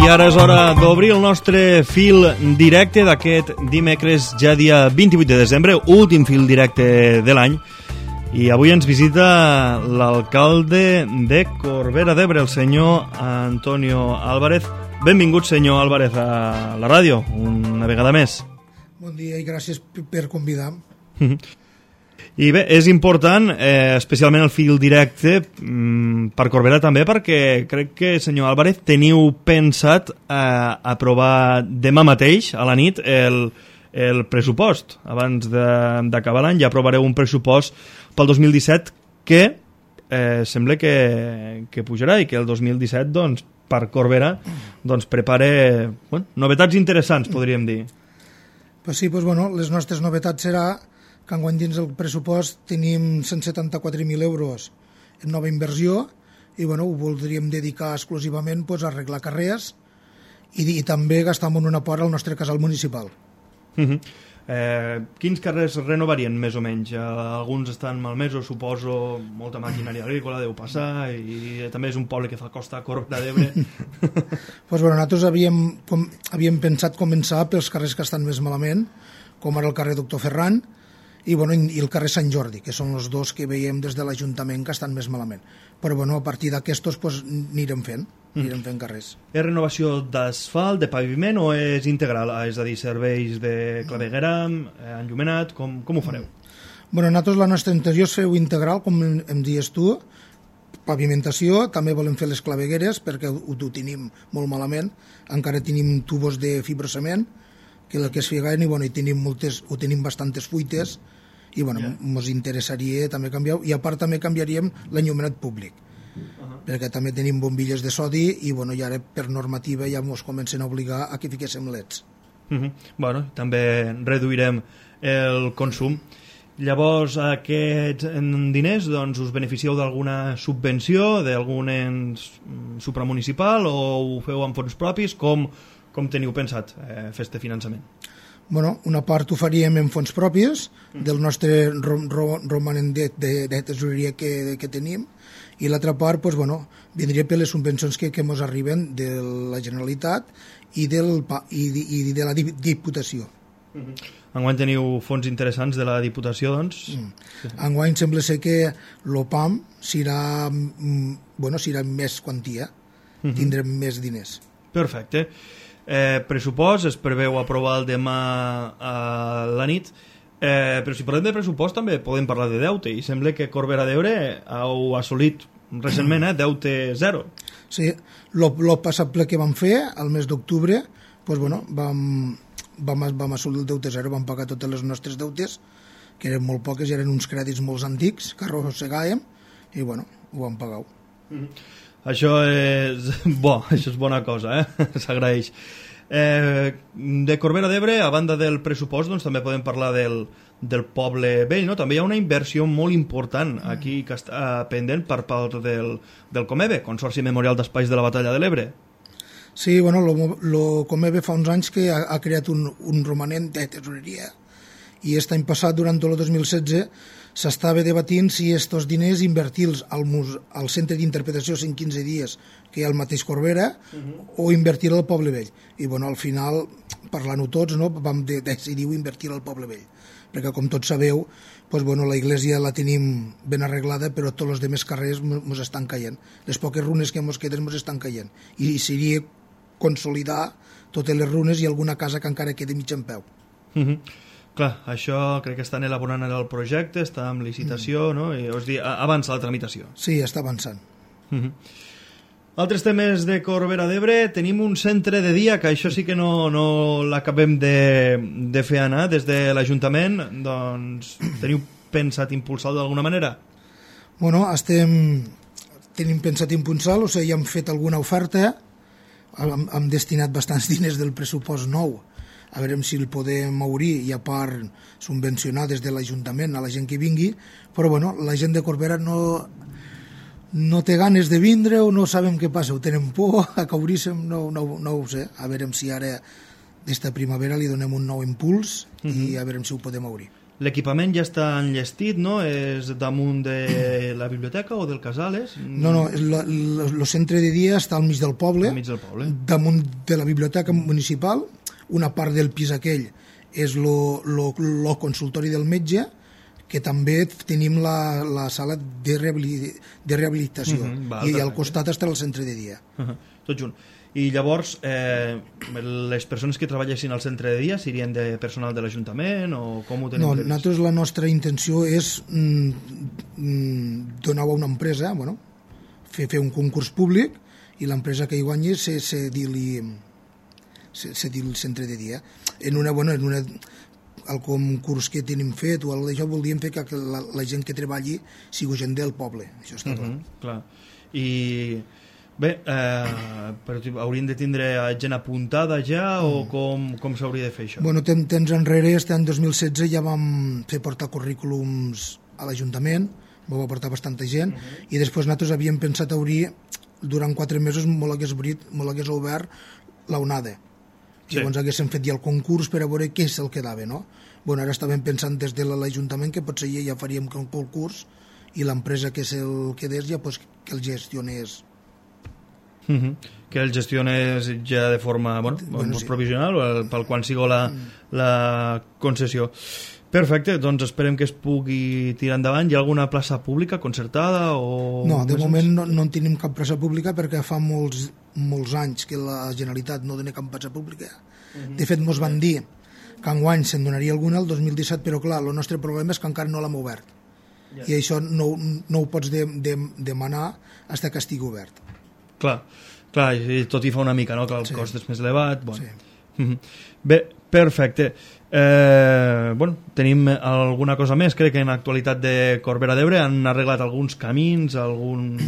I ara és hora d'obrir el nostre fil directe d'aquest dimecres, ja dia 28 de desembre, últim fil directe de l'any. I avui ens visita l'alcalde de Corbera d'Ebre, el senyor Antonio Álvarez. Benvingut, senyor Álvarez, a la ràdio, una vegada més. Bon dia i gràcies per convidar. I bé, és important, especialment el fil directe per Corbera també, perquè crec que, senyor Álvarez, teniu pensat aprovar demà mateix, a la nit, el pressupost. Abans d'acabar l'any ja aprovareu un pressupost pel 2017 que sembla que pujarà i que el 2017, doncs, per Corbera, doncs, prepara novetats interessants, podríem dir. Pues sí, les nostres novetats serà que enguany dins del pressupost tenim 174.000 euros en nova inversió i ho voldríem dedicar exclusivament a arreglar carrers i també gastar en una part al nostre casal municipal. Quins carrers renovarien més o menys? Alguns estan malmesos, suposo, molta maquinària agrícola deu passar i també és un poble que fa costa a Corbera d'Ebre. Nosaltres havíem pensat començar pels carrers que estan més malament, com ara el carrer Doctor Ferran i el carrer Sant Jordi, que són els dos que veiem des de l'Ajuntament que estan més malament. Però a partir d'aquestos anirem fent carrers. És renovació d'asfalt, de paviment o és integral? És a dir, serveis de claveguera, enllumenat, com ho fareu? Nosaltres la nostra intenció és fer-ho integral, com em dius tu, pavimentació, també volem fer les clavegueres perquè ho tenim molt malament, encara tenim tubos de fibrocement que es figuen i tenim bastantes fuites i ens interessaria també canviar, i a part també canviaríem l'enllumenat públic, perquè també tenim bombilles de sodi i ara per normativa ja ens comencen a obligar a que fiquéssim leds. També reduirem el consum. Llavors, aquests diners us beneficieu d'alguna subvenció, d'algun ens supramunicipal, o ho feu amb fons propis? Com teniu pensat fer este finançament? Una part ho faríem en fons propis del nostre romanent de tesoreria que tenim, i l'altra part vindria per les subvencions que ens arriben de la Generalitat i de la Diputació. Enguany teniu fons interessants de la Diputació, doncs? Enguany sembla ser que l'OPAM serà més quantia, tindrem més diners. Perfecte. Pressupost es preveu aprovar el demà a la nit, però si parlem de pressupost també podem parlar de deute, i sembla que Corbera d'Ebre heu assolit recentment deute zero. Sí, el passat ple que vam fer el mes d'octubre vam assolir el deute zero, vam pagar totes les nostres deutes, que eren molt poques i eren uns crèdits molt antics que arrossegàvem, i ho vam pagar. Això és bo, això és bona cosa, s'agraeix. De Corbera d'Ebre, a banda del pressupost, també podem parlar del poble vell, no? També hi ha una inversió molt important aquí que està pendent per part del Comebe, Consorci Memorial d'Espais de la Batalla de l'Ebre. Sí, el Comebe fa uns anys que ha creat un romanent de tesoreria, i aquest any passat, durant tot el 2016, s'estava debatint si aquests diners invertir-los al centre d'interpretació 115 dies que hi ha al mateix Corbera o invertir al poble vell. I al final, parlant-ho tots, vam decidir invertir al poble vell, perquè com tots sabeu, la iglesia la tenim ben arreglada, però tots els altres carrers ens estan caient. Les poques runes que ens queden ens estan caient, i seria consolidar totes les runes i alguna casa que encara quedi mig en peu. Clar, això crec que estan elaborant el projecte, està en licitació, no? I avança la tramitació. Sí, està avançant. Altres temes de Corbera d'Ebre, tenim un centre de dia, que això sí que no l'acabem de fer anar des de l'Ajuntament, doncs teniu pensat impulsar-lo d'alguna manera? Tenim pensat impulsar-lo, ja hem fet alguna oferta, hem destinat bastants diners del pressupost nou, a veure si el podem obrir i a part subvencionar des de l'Ajuntament a la gent que vingui, però la gent de Corbera no té ganes de vindre o no sabem què passa, ho tenen por a que obríssim, no ho sé, a veure si ara d'esta primavera li donem un nou impuls i a veure si ho podem obrir. l'equipament ja està enllestit, no? És damunt de la biblioteca o del Casales? No, el centre de dia està al mig del poble, damunt de la biblioteca municipal. Una part del pis aquell és el consultori del metge, que també tenim la sala de rehabilitació, i al costat està el centre de dia. Tot junt. I llavors, les persones que treballessin al centre de dia serien de personal de l'Ajuntament o com ho tenim previst? Nosaltres la nostra intenció és donar a una empresa, fer un concurs públic, i l'empresa que hi guanyi cedir-li el centre de dia. En el concurs que tenim fet o això voldríem fer que la gent que treballi sigui gent del poble, això està clar. I bé, però hauríem de tindre gent apuntada ja o com s'hauria de fer això? Temps enrere, any 2016 ja vam fer portar currículums a l'Ajuntament, vam aportar bastanta gent, i després nosaltres havíem pensat obrir durant 4 mesos molt hagués obert la UNADE. Llavors haguéssim fet ja el concurs per a veure què se'l quedava, no? Ara estàvem pensant des de l'Ajuntament que potser ja faríem un concurs i l'empresa que se'l quedés ja que el gestionés. Que el gestionés ja de forma provisional pel quan sigui la concessió. Perfecte, doncs esperem que es pugui tirar endavant. Hi ha alguna plaça pública concertada? No, de moment no en tenim cap plaça pública perquè fa molts anys que la Generalitat no dona cap plaça pública. De fet, ens van dir que enguany se'n donaria alguna el 2017, però clar, el nostre problema és que encara no l'hem obert. I això no ho pots demanar fins que estigui obert. Clar, i tot hi fa una mica, no? Que el cost és més elevat. Bé, perfecte. Tenim alguna cosa més. Crec que en l'actualitat de Corbera d'Ebre han arreglat alguns camins, alguna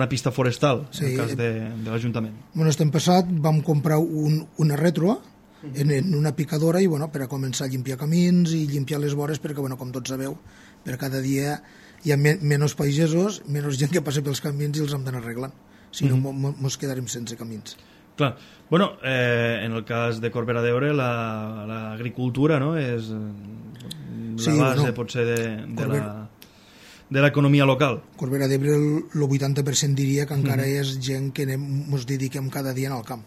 pista forestal, en el cas de l'Ajuntament. Estem passat, vam comprar una retro en una picadora per a començar a limpiar camins i limpiar les vores perquè, com tots sabeu, per cada dia hi ha menys pagesos, menys gent que passa pels camins i els hem d'anar arreglant. Si no, ens quedarem sense camins. Clar. En el cas de Corbera d'Ebre, l'agricultura és la base, potser, de l'economia local. Corbera d'Ebre, el 80% diria que encara és gent que ens dediquem cada dia al camp.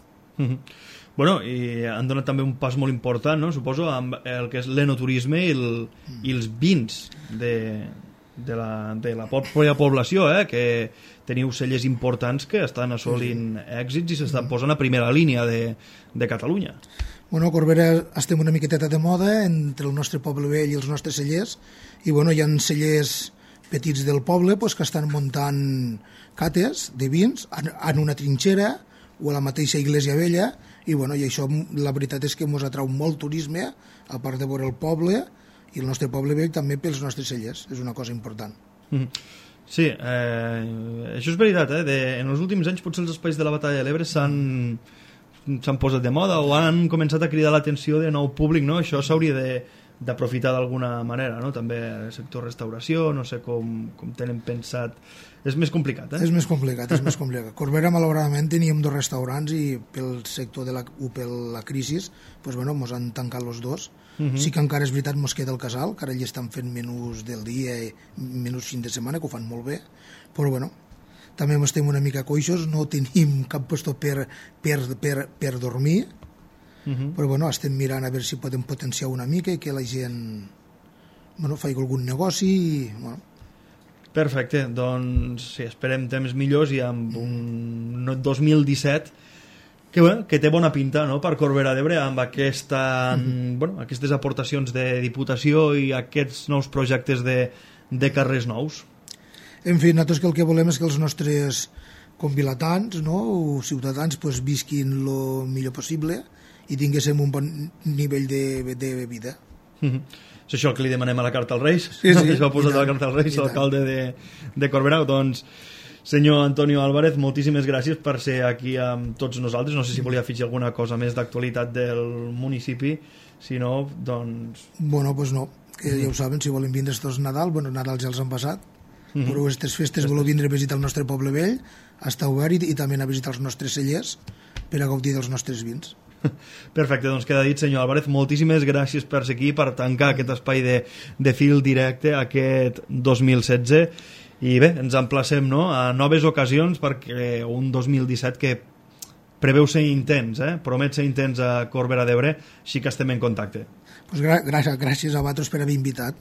I han donat també un pas molt important, suposo, amb el que és l'enoturisme i els vins de la pròpia població, que teniu cellers importants que estan assolint èxits i s'estan posant a primera línia de Catalunya. Corbera estem una miqueteta de moda entre el nostre poble vell i els nostres cellers, i hi ha cellers petits del poble que estan muntant cates de vins en una trinxera o a la mateixa Iglesia Vella, i això la veritat és que ens atrau molt turisme, a part de veure el poble i el nostre poble vell també pels nostres cellers, és una cosa important. Sí, això és veritat, en els últims anys potser els espais de la Batalla de l'Ebre s'han posat de moda o han començat a cridar l'atenció de nou públic, no? Això s'hauria d'aprofitar d'alguna manera, no? També el sector restauració, no sé com tenen pensat. És més complicat, És més complicat. Corbera, malauradament, teníem 2 restaurants i pel sector per la crisi, ens han tancat els 2. Sí que encara és veritat, ens queda el casal, que ara hi estan fent menús del dia i menús fin de setmana, que ho fan molt bé, però també estem una mica coixos, no tenim cap lloc per dormir, però estem mirant a veure si podem potenciar una mica i que la gent faci algun negoci i Perfecte, doncs sí, esperem temps millors i amb un 2017 que té bona pinta, no?, per Corbera d'Ebre, amb aquestes aportacions de Diputació i aquests nous projectes de carrers nous. En fi, nosaltres el que volem és que els nostres convilatans, o ciutadans, visquin el millor possible i tinguéssim un bon nivell de vida. És això el que li demanem a la Carta als Reis, que es va posar a la Carta als Reis, l'alcalde de Corbera. Doncs, senyor Antonio Álvarez, moltíssimes gràcies per ser aquí amb tots nosaltres. No sé si volia afegir alguna cosa més d'actualitat del municipi, si no, doncs... No, que ja ho saben, si volen vindre estos Nadal, Nadal ja els han passat, però aquestes festes voleu vindre a visitar el nostre poble vell, està obert, i també a visitar els nostres cellers per a gaudir dels nostres vins. Perfecte, doncs queda dit, senyor Álvarez. Moltíssimes gràcies per ser aquí, per tancar aquest espai de fil directe aquest 2016. I bé, ens emplacem, no?, a noves ocasions, perquè un 2017 que preveu ser intens, promet ser intens a Corbera d'Ebre, així que estem en contacte. Pues gràcies a vosaltres per haver invitat.